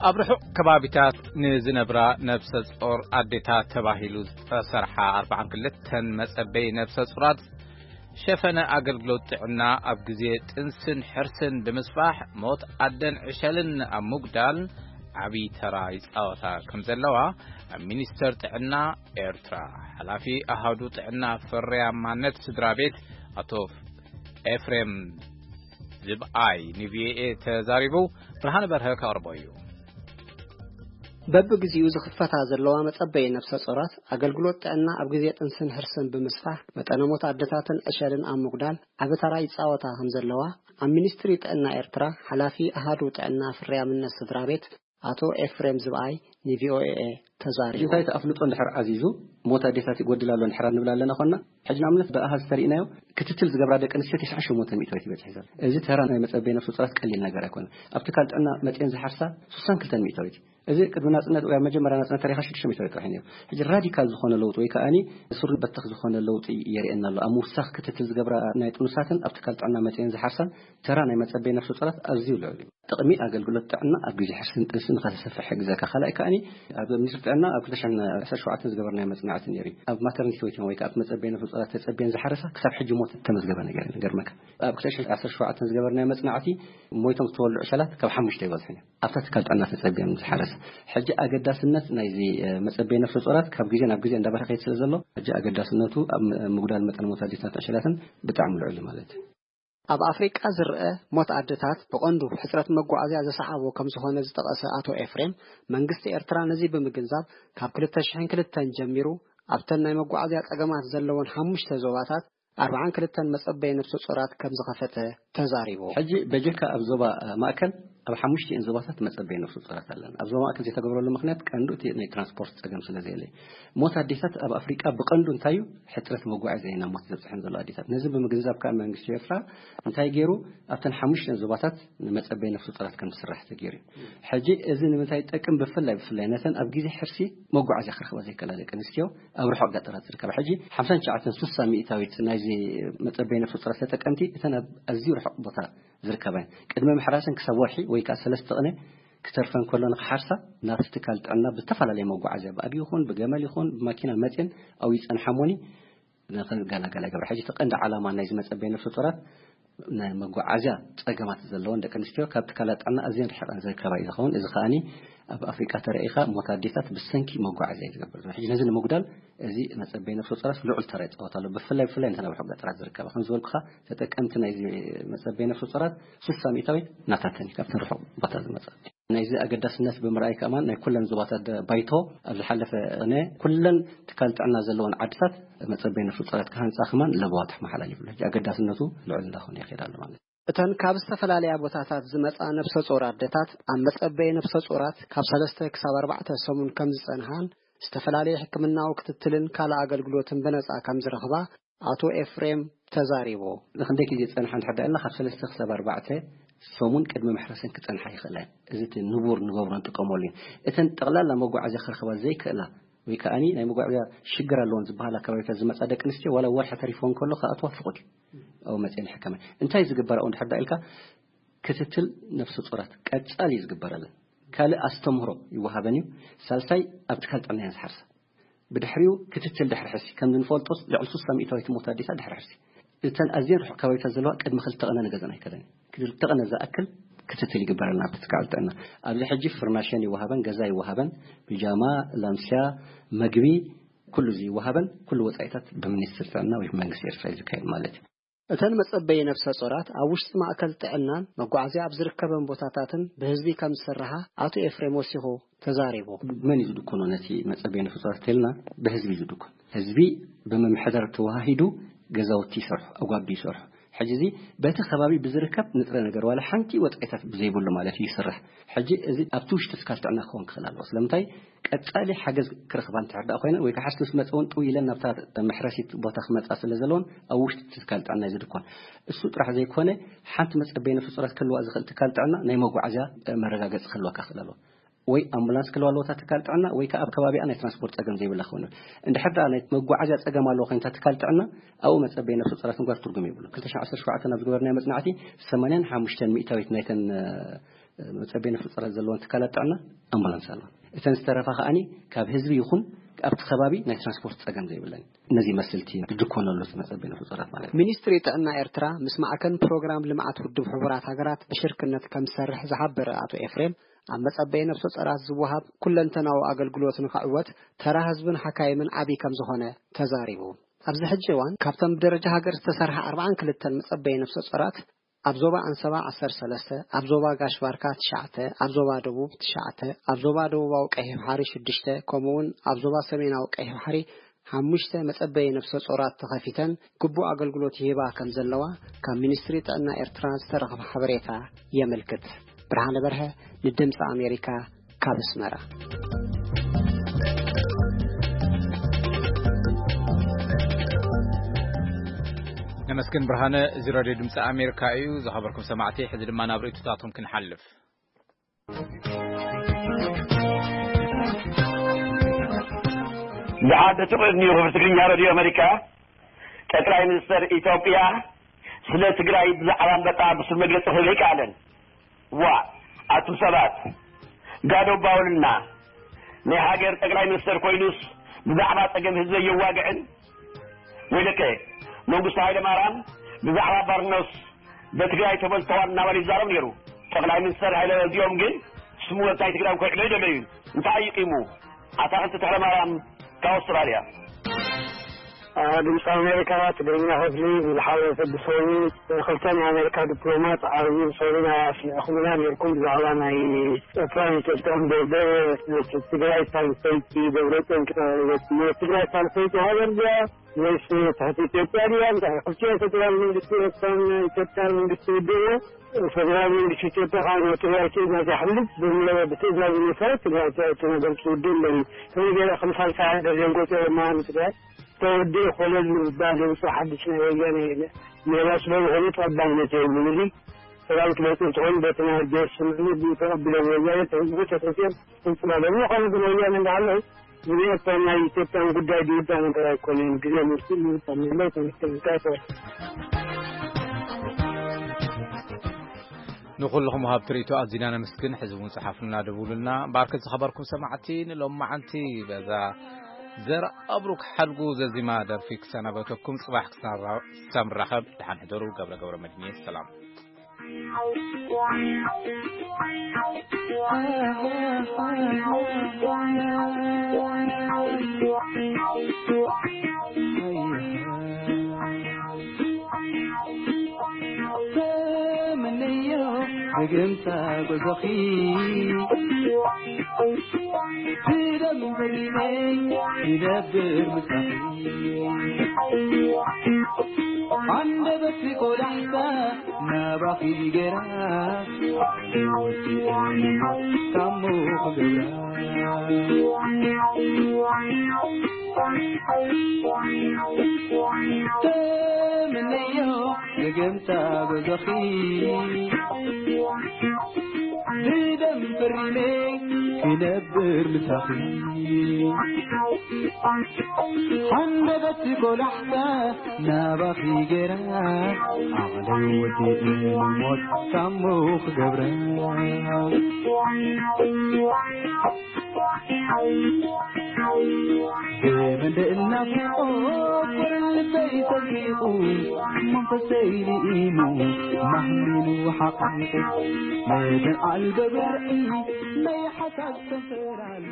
ኣብ ርሑቕ ከባቢታት ንዝነብራ ነብሰ ጾር ኣዴታት ተባሂሉ ዝተሰርሓ ኣርባዓን ክልተን መጸበይ ነብሰ ጾራት ሸፈነ ኣገልግሎት ጥዕና ኣብ ግዜ ጥንስን ሕርስን ብምስፋሕ ሞት ኣደን ዕሸልን ኣብ ምጉዳል ዓብዪ ተራ ይጻወታ ከም ዘለዋ ኣብ ሚኒስተር ጥዕና ኤርትራ ሓላፊ ኣሃዱ ጥዕና ፍርያማነት ስድራ ቤት ኣቶ ኤፍሬም ዝብኣይ ንቪኦኤ ተዛሪቡ። ብርሃነ በርሀ ከቕርቦ እዩ። በብግዚኡ ዝኽፈታ ዘለዋ መጸበይ ነብሰ ጾራት ኣገልግሎት ጥዕና ኣብ ግዜ ጥንስን ሕርስን ብምስፋሕ መጠነ ሞት ኣደታትን ዕሸልን ኣብ ምጉዳል ዓቢ ተራ ይጻወታ ከም ዘለዋ ኣብ ሚኒስትሪ ጥዕና ኤርትራ ሓላፊ ኣሃዱ ጥዕና ፍርያምነት ስድራ ቤት ኣቶ ኤፍሬም ዝብኣይ ንቪኦኤ ተዛሪቡ። እንታይ ተኣፍልጦ እንድሕር ዓዚዙ ሞት ኣዴታት ይጎድል ኣሎ እንድሕር ንብል ኣለና ኮና፣ ሕጂ ንኣብነት ብኣሃዝ ተሪእናዮ ክትትል ዝገብራ ደቂ ኣንስትዮ 98% ይበጽሕ ዘሎ። እዚ ተራ ናይ መጸበይ ነፍሲ ጾራት ቀሊል ነገር ኣይኮነ። ኣብ ትካል ጥዕና መጽኤን ዝሓርሳ 62%። እዚ ቅድሚ ናጽነት ወይ ኣብ መጀመርያ ናጽነት ተሪኻ 600 ጥራሕ እዩ ነይሩ። ሕጂ ራዲካል ዝኾነ ለውጢ ወይ ከኣኒ ሱር በተኽ ዝኾነ ለውጢ የርእየና ኣሎ። ኣብ ምውሳኽ ክትትል ዝገብራ ናይ ጥኑሳትን ኣብ ትካል ጥዕና መጽኤን ዝሓርሳን ተራ ናይ መጸበይ ነፍሲ ጾራት ኣዝዩ ልዑል እዩ። ጥቕሚ ኣገልግሎት ጥዕና ኣብ ግዜ ሕርስን ጥንስን ንኸተሰፍሕ ይሕግዘካ። ካልኣይ ከኣኒ ኣብ ሚኒስትሪ ጥዕና ኣብ 2017 ዝገበርናዮ መጽናዕቲ ነይሩ እዩ። ኣብ ማተርኒቲ ዌይቲንግ ወይ ከኣ ኣብ መጸበይ ነፍሲ ጾራት ተጸብየን ዝሓረሳ ክሳብ ሕጂ ሞት እተመዝገበ ነገር የለን። ገርመካ ኣብ 2017 ዝገበርናዮ መጽናዕቲ ሞይቶም ዝተወልዑ ዕሸላት ካብ ሓሙሽተ ይበዝሑን እዮም። ኣብታ ትካል ጥዕና ተጸብየን ዝሓረሳ። ሕጂ ኣገዳስነት ናይዚ፣ እ፣ መጸበይ ነፍሲ ጾራት ካብ ግዜ ናብ ግዜ እንዳበረኸ ይኸይድ ስለ ዘሎ፣ ሕጂ ኣገዳስነቱ ኣብ ም-፣ ምጉዳል መጠን ሞት ኣዴታት ዕሸላትን ብጣዕሚ ልዑል እዩ ማለት እዩ። ኣብ ኣፍሪቃ ዝረአ ሞት ኣደታት ብቐንዱ ሕጽረት መጓዓዝያ ዘሰዓቦ ከም ዝኾነ ዝጠቐሰ ኣቶ ኤፍሬም፣ መንግስቲ ኤርትራ ነዚ ብምግንዛብ ካብ 2002 ጀሚሩ ኣብተን ናይ መጓዓዝያ ጸገማት ዘለወን ሓሙሽተ ዞባታት 42 መጸበይ ነፍሲ ጾራት ከም ዝኸፈተ ተዛሪቡ። ሕጂ በጀካ ኣብ ዞባ፣ እ፣ ማእከል ኣብ ሓሙሽቲኤን ዞባታት መጸበይ ነፍሲ ጾራት ኣለና። ኣብ ዞባ ማእከል ዘይተገብረሉ ምኽንያት ቀንዱ እቲ ናይ ትራንስፖርት ጸገም ስለ ዘየለ እዩ። ሞት ኣዴታት ኣብ ኣፍሪቃ ብቐንዱ እንታይ እዩ? ሕጽረት መጓዓዝያ እዩ ናብ ሞት ዘብጽሐን ዘሎ ኣዴታት። ነዚ ብምግንዛብ ከኣ መንግስቲ ኤርትራ እንታይ ገይሩ? ኣብተን ሓሙሽተን ዞባታት ንመጸበይ ነፍሲ ጾራት ከም ዝስራሕ ተገይሩ እዩ። ሕጂ እዚ ንምንታይ ይጠቅም? ብፍላይ፣ ብፍላይ ነተን ኣብ ግዜ ሕርሲ መጓዓዝያ ክረኽባ ዘይከላ ደቂ ኣንስትዮ ኣብ ርሑቕ ገጠራት ዝርከባ። ሕጂ ሓምሳን ትሽዓተን፣ ስሳ ሚእታዊት ናይዚ መጸበይ ነፍሲ ጾራት ተጠቀምቲ እተን ኣብ ኣዝዩ ርሑቕ ቦታ ዝርከባ እየን። ቅድሚ ምሕራሰን ክሳብ ወርሒ ወይ ከኣ ሰለስተ ቅነ ክተርፈን ከሎ ንኽሓርሳ ናብቲ ትካል ጥዕና ብዝተፈላለየ መጓዓዝያ፣ ብኣድጊ ይኹን፣ ብገመል ይኹን፣ ብማኪና መጽየን ኣብኡ ይጸንሓሞኒ ንኽንገላገላ ይገብራ። ሕጂ እቲ ቀንዲ ዓላማ ናይዚ መጸበይ ነፍሲ ጾራት ናይ መጓዓዝያ ጸገማት ዘለወን ደቂ ኣንስትዮ ካብ ትካላት ጥዕና ኣዝየን ርሒቐን ዝርከባ እዩ ዝኸውን። እዚ ከኣኒ ኣብ ኣፍሪቃ ተረኢኻ ሞት ኣዴታት ብሰንኪ መጓዓዝያ እዩ ዝገብር ዘሎ። ሕጂ ነዚ ንምጉዳል እዚ መጸበይ ነፍሲ ጾራት ልዑል ተራ ይጻወት ኣሎ። ብፍላይ፣ ብፍላይ ነተን ኣብ ርሑቕ ገጠራት ዝርከባ። ከም ዝበልኩኻ ተጠቀምቲ ናይዚ መጸበይ ነፍሲ ጾራት ስሳ ሚእታዊት ናታተን እዩ፣ ካብተን ርሑቕ ቦታ ዝመጻ። ናይዚ ኣገዳስነት ብምርኣይ ከማን ናይ ኩለን ዞባታት ደ-፣ ባይቶ ኣብ ዝሓለፈ ቅነ ኩለን ትካል ጥዕና ዘለወን ዓድታት መጸበይ ነፍሲ ጾራት ክሃንጻ ከማን ለበዋ ተመሓላሊፉ ኣሎ። ሕጂ ኣገዳስነቱ ልዑል እንዳኾነ ይኸይድ ኣሎ ማለት እዩ። እተን ካብ ዝተፈላለያ ቦታታት ዝመጻ ነፍሰ ጾር ኣደታት ኣብ መጸበይ ነፍሰ ጾራት ካብ ሰለስተ ክሳብ ኣርባዕተ ሰሙን ከም ዝጸንሓን ዝተፈላለየ ሕክምናዊ ክትትልን ካልእ ኣገልግሎትን ብነጻ ከም ዝረኽባ ኣቶ ኤፍሬም ተዛሪቡ። ንክንደይ ግዜ ዝጸንሓ እንድሕር ደኣ ኢልና፣ ካብ ሰለስተ ክሳብ ኣርባዕተ ሰሙን ቅድሚ መሕረሰን ክጸንሓ ይኽእላ እየን። እዚ እቲ ንቡር ንገብሮ ንጥቀመሉ እዩ። እተን ጠቕላላ መጓዓዝያ ክረኽባ ዘይክእላ ወይ ከኣኒ ናይ መጓዓዝያ ሽግር ኣለዎን ዝበሃላ ከባቢታት ዝመጻ ደቂ ኣንስትዮ ዋላ ወርሒ ተሪፎን ከሎ ክኣትዋ ፍቑድ እዩ። ኣብኡ መጺኤን ይሕከማ። እንታይ ዝግበር ኣብኡ እንድሕር ደኣ ኢልካ፣ ክትትል ነፍሰ ጡራት ቀጻሊ እዩ ዝግበረለን። ካልእ ኣስተምህሮ ይወሃበን እዩ። ሳልሳይ ኣብ ትካል ጥዕና እየን ዝሓርሳ። ብድሕሪኡ ክትትል ድሕሪ ሕርሲ፣ ከም እንፈልጦስ ልዕሊ ስሳ ሚእታዊት ትሞት ኣዴታት ድሕሪ ሕርሲ። እተን ኣዝየን ርሑቕ ከባቢታት ዘለዋ ቅድሚ ክልተ ቅነ ንገዝኣን ኣይከለን። ክልተ ቅነ ዝኣክል ክትትል ይግበረልና ኣብቲ ትካል ጥዕና። ኣብዚ ሕጂ ፍርናሸን ይወሃበን፣ ገዛ ይወሃበን፣ ቢጃማ፣ ላምስያ፣ መግቢ፣ ኩሉ እዚ ይወሃበን። ኩሉ ወጻኢታት ብሚኒስትሪ ጥዕና ወይ ብመንግስቲ ኤርትራ እዩ ዝካየድ ማለት እዩ። እተን መጸበዪ ነፍሰ ጾራት ኣብ ውሽጢ ማእከል ጥዕናን መጓዓዝያ ኣብ ዝርከበን ቦታታትን ብህዝቢ ከም ዝስርሓ ኣቶ ኤፍሬም ወሲኹ ተዛሪቡ። መን እዩ ዝድኮኖ ነቲ መጸበዪ ነፍሰ ጾራት ተልና? ብህዝቢ እዩ ዝድኮን። ህዝቢ ብምምሕዳር ተዋሂዱ ገዛውቲ ይሰርሑ፣ ኣጓቢ ይሰርሑ። ሕጂ እዚ በቲ ከባቢ ብዝርከብ ንጥረ ነገር ዋላ ሓንቲ ወጻኢታት ብዘይብሉ ማለት እዩ ይስራሕ። ሕጂ እዚ ኣብቲ ውሽጢ ትካል ጥዕና ክኸውን ክኽእል ኣለዎ። ስለምንታይ? ቀጻሊ ሓገዝ ክረኽባ እንድሕር ደኣ ኮይነን ወይ ከዓ ሓሽቲ ምስ መጸ እውን ጥው ኢለን ናብታ መሕረሲት ቦታ ክመጻ ስለ ዘለዎን ኣብ ውሽጢ ትካል ጥዕና እዩ ዝድኮን። እሱ ጥራሕ ዘይኮነ፣ ሓንቲ መጸበዪ ነፍሰ ጾራት ክህልዋ ዝኽእል ትካል ጥዕና ናይ መጓዓዝያ መረጋገጺ ክህልወካ ክኽእል ኣለዎ። ወይ ኣምቡላንስ ክህልዋ ኣለዎ እታ ትካል ጥዕና ወይ ከዓ ኣብ ከባቢኣ ናይ ትራንስፖርት ጸገም ዘይብላ ክኸውን። እንድሕር ደኣ ናይ መጓዓዝያ ጸገም ኣለዎ ኮይኑ እታ ትካል ጥዕና ኣብኡ መጸበዪ ነፍሰ ጾራት ምግባር ትርጉም የብሉ። ክልተ ሽሕን ዓሰርተ ሸውዓተን ኣብ ዝገበርናዮ መጽናዕቲ ሰማንያን ሓሙሽተን ሚእታዊት ናይተን መጸበዪ ነፍሰ ጾራት ዘለወን ትካላት ጥዕና ኣምቡላንስ ኣለዋ። እተን ዝተረፋ ከኣኒ ካብ ህዝቢ ይኹን ኣብቲ ከባቢ ናይ ትራንስፖርት ጸገም ዘይብለን። ነዚ ይመስል እቲ ዝድኮነሉ እቲ መጸበዪ ነፍሰ ጾራት ማለት እዩ። ሚኒስትሪ ጥዕና ኤርትራ ምስ ማዕከን ፕሮግራም ልምዓት ውድብ ሕቡራት ሃገራት ብሽርክነት ከም ዝሰርሕ ዝሓበረ ኣቶ ኤፍሬም፣ ኣብ መጸበዪ ነፍሰ ጾራት ዝወሃብ ኩለንተናዊ ኣገልግሎት ንኽዕወት ተራ ህዝብን ሓካይምን ዓቢ ከም ዝኾነ ተዛሪቡ። ኣብዚ ሕጂ እዋን ካብተን ብደረጃ ሃገር ዝተሰርሓ ኣርባዓን ክልተን መጸበዪ ነፍሰ ጾራት ኣብ ዞባ ኣንሰባ ዓሰርተ ሰለስተ፣ ኣብ ዞባ ጋሽ ባርካ ትሽዓተ፣ ኣብ ዞባ ደቡብ ትሽዓተ፣ ኣብ ዞባ ደቡባዊ ቀይሕ ባሕሪ ሽዱሽተ፣ ከምኡ'ውን ኣብ ዞባ ሰሜናዊ ቀይሕ ባሕሪ ሓሙሽተ መጸበዪ ነፍሰ ጾራት ተኸፊተን ግቡእ ኣገልግሎት ይህባ ከም ዘለዋ ካብ ሚኒስትሪ ጥዕና ኤርትራ ዝተረኽበ ሓበሬታ የመልክት። ብርሃነ በርሀ ንድምፂ ኣሜሪካ ካብ ኣስመራ። ነመስግን ብርሃነ። እዚ ሬድዮ ድምፂ ኣሜሪካ እዩ። ዝኸበርኩም ሰማዕቲ፣ ሕዚ ድማ ናብ ርእይቶታቶም ክንሓልፍ። ደሓር ደቂ ቅድሚኡ ክብሪ ትግርኛ ሬድዮ ኣሜሪካ፣ ጠቅላይ ሚኒስተር ኢትዮጵያ ስለ ትግራይ ብዛዕባ ኣንበጣ ብሱር መግለጺ ክህብ ኣይከኣለን። ዋእ ኣቱም ሰባት፣ ጋዶ ባውልና ናይ ሃገር ጠቅላይ ሚኒስተር ኮይኑስ ብዛዕባ ጸገም ህዝቢ የዋግዕን? ወይለከ መንግስቱ ሃይለማርያም ብዛዕባ ባርኖስ በትግራይ ተበልተዋል እናበለ ይዛረብ ነይሩ። ጠቅላይ ሚኒስተር ሃይለ እዚኦም ግን ስሙ ወልታይ ትግራይ ከውዕሎ ይደለዩ። እንታይ ይቂሙ? ኣታኽልቲ ተኽለማርያም ካብ ኣውስትራልያ። ድምፂ ኣሜሪካ ትግርኛ ክፍሊ ዝሓለፈ ሰዱስ ወኒ ክልተ ናይ ኣሜሪካ ዲፕሎማት ዓብዪ ሰውና ኣስሚዕኹምና ነርኩም ብዛዕባ ናይ ኤርትራን ኢትዮጵያን ደርደር ትግራይ ሳልሰይቲ ደብረፅዮን ክተረበት ትግራይ ሳልሰይቲ ሃገር ድያ ወይስ ትሕቲ ኢትዮጵያ ድያ? እንታይ ክልቲኦ ፈደራል መንግስቲ ኤርትራን ኢትዮጵያን መንግስቲ ውድብ ፈደራል መንግስቲ ኢትዮጵያ ካብ ናይ ትግራይ ትእዛዝ ይሓልፍ ብምለ ብትእዛዝ መሰረት ትግራይ ትእቲ ነገር ትውድእ እንደኒ ከመይ ገይረ ከም ሳልሳይ ሃገር ዘንቆፀ የማሃን ትግራይ ተወድእ ኮለል ዝባል ህንፃ ሓድሽ ናይ ወያነ ሜላ ስለዝኾነ ተቐባልነት የብሉን። እዚ ሰራዊት መፅኡ እንትኾን በቲ ናይ ጀርስ ተቐቢሎም ወያነ ተህዝቡ ተፈትዮም ህንፅላ ለሚ ኾነ ግን ወያነ እንዳሃለዉ ዝብኤታ ናይ ኢትዮጵያን ጉዳይ ዝውዳ ነገር ኣይኮነን። ግዜ ምርሲ ምውጣ ምለ ተንስተንካቶ ንኹልኹም ሃብ ትርኢቶ ኣዚና ነመስግን። ሕዚ እውን ጽሓፉልና ደውሉልና። ባርከት ዝኸበርኩም ሰማዕቲ ንሎማዓንቲ በዛ ዘርኣብሩክ ሓድጉ ዘዚማ ደርፊ ክሰናበተኩም። ጽባሕ ክሳብ ንራኸብ ደሓን ሕደሩ። ገብረ ገብረ መድህን እየ። ሰላም። ተመነዮ ብግምታ ጉዕዞኺ ብደም በሊለይ ይነብር ምሳኺ። ኣንደበትኪ ቆላሕታ ናባኺ ገይራ ታሞ ክገብራ። ተመነዮ ደገምታ ገዛኺ ብደም ፈሪመ ክነብር ምሳኺ። ሓንደበት ኮላሕታ ናባኺ ገራ ዓቕለይ ወዲኡ ንሞት ሳሞ ክገብራ። ብመንደእ እናፍቆ ልበይ ሰንቂቑ መንፈሰይ ልኢሙ ማህሚኑ ሓቒቑ። መደን ኣልበ ብርዒ ናይ ሓሳብ ሰንፈራል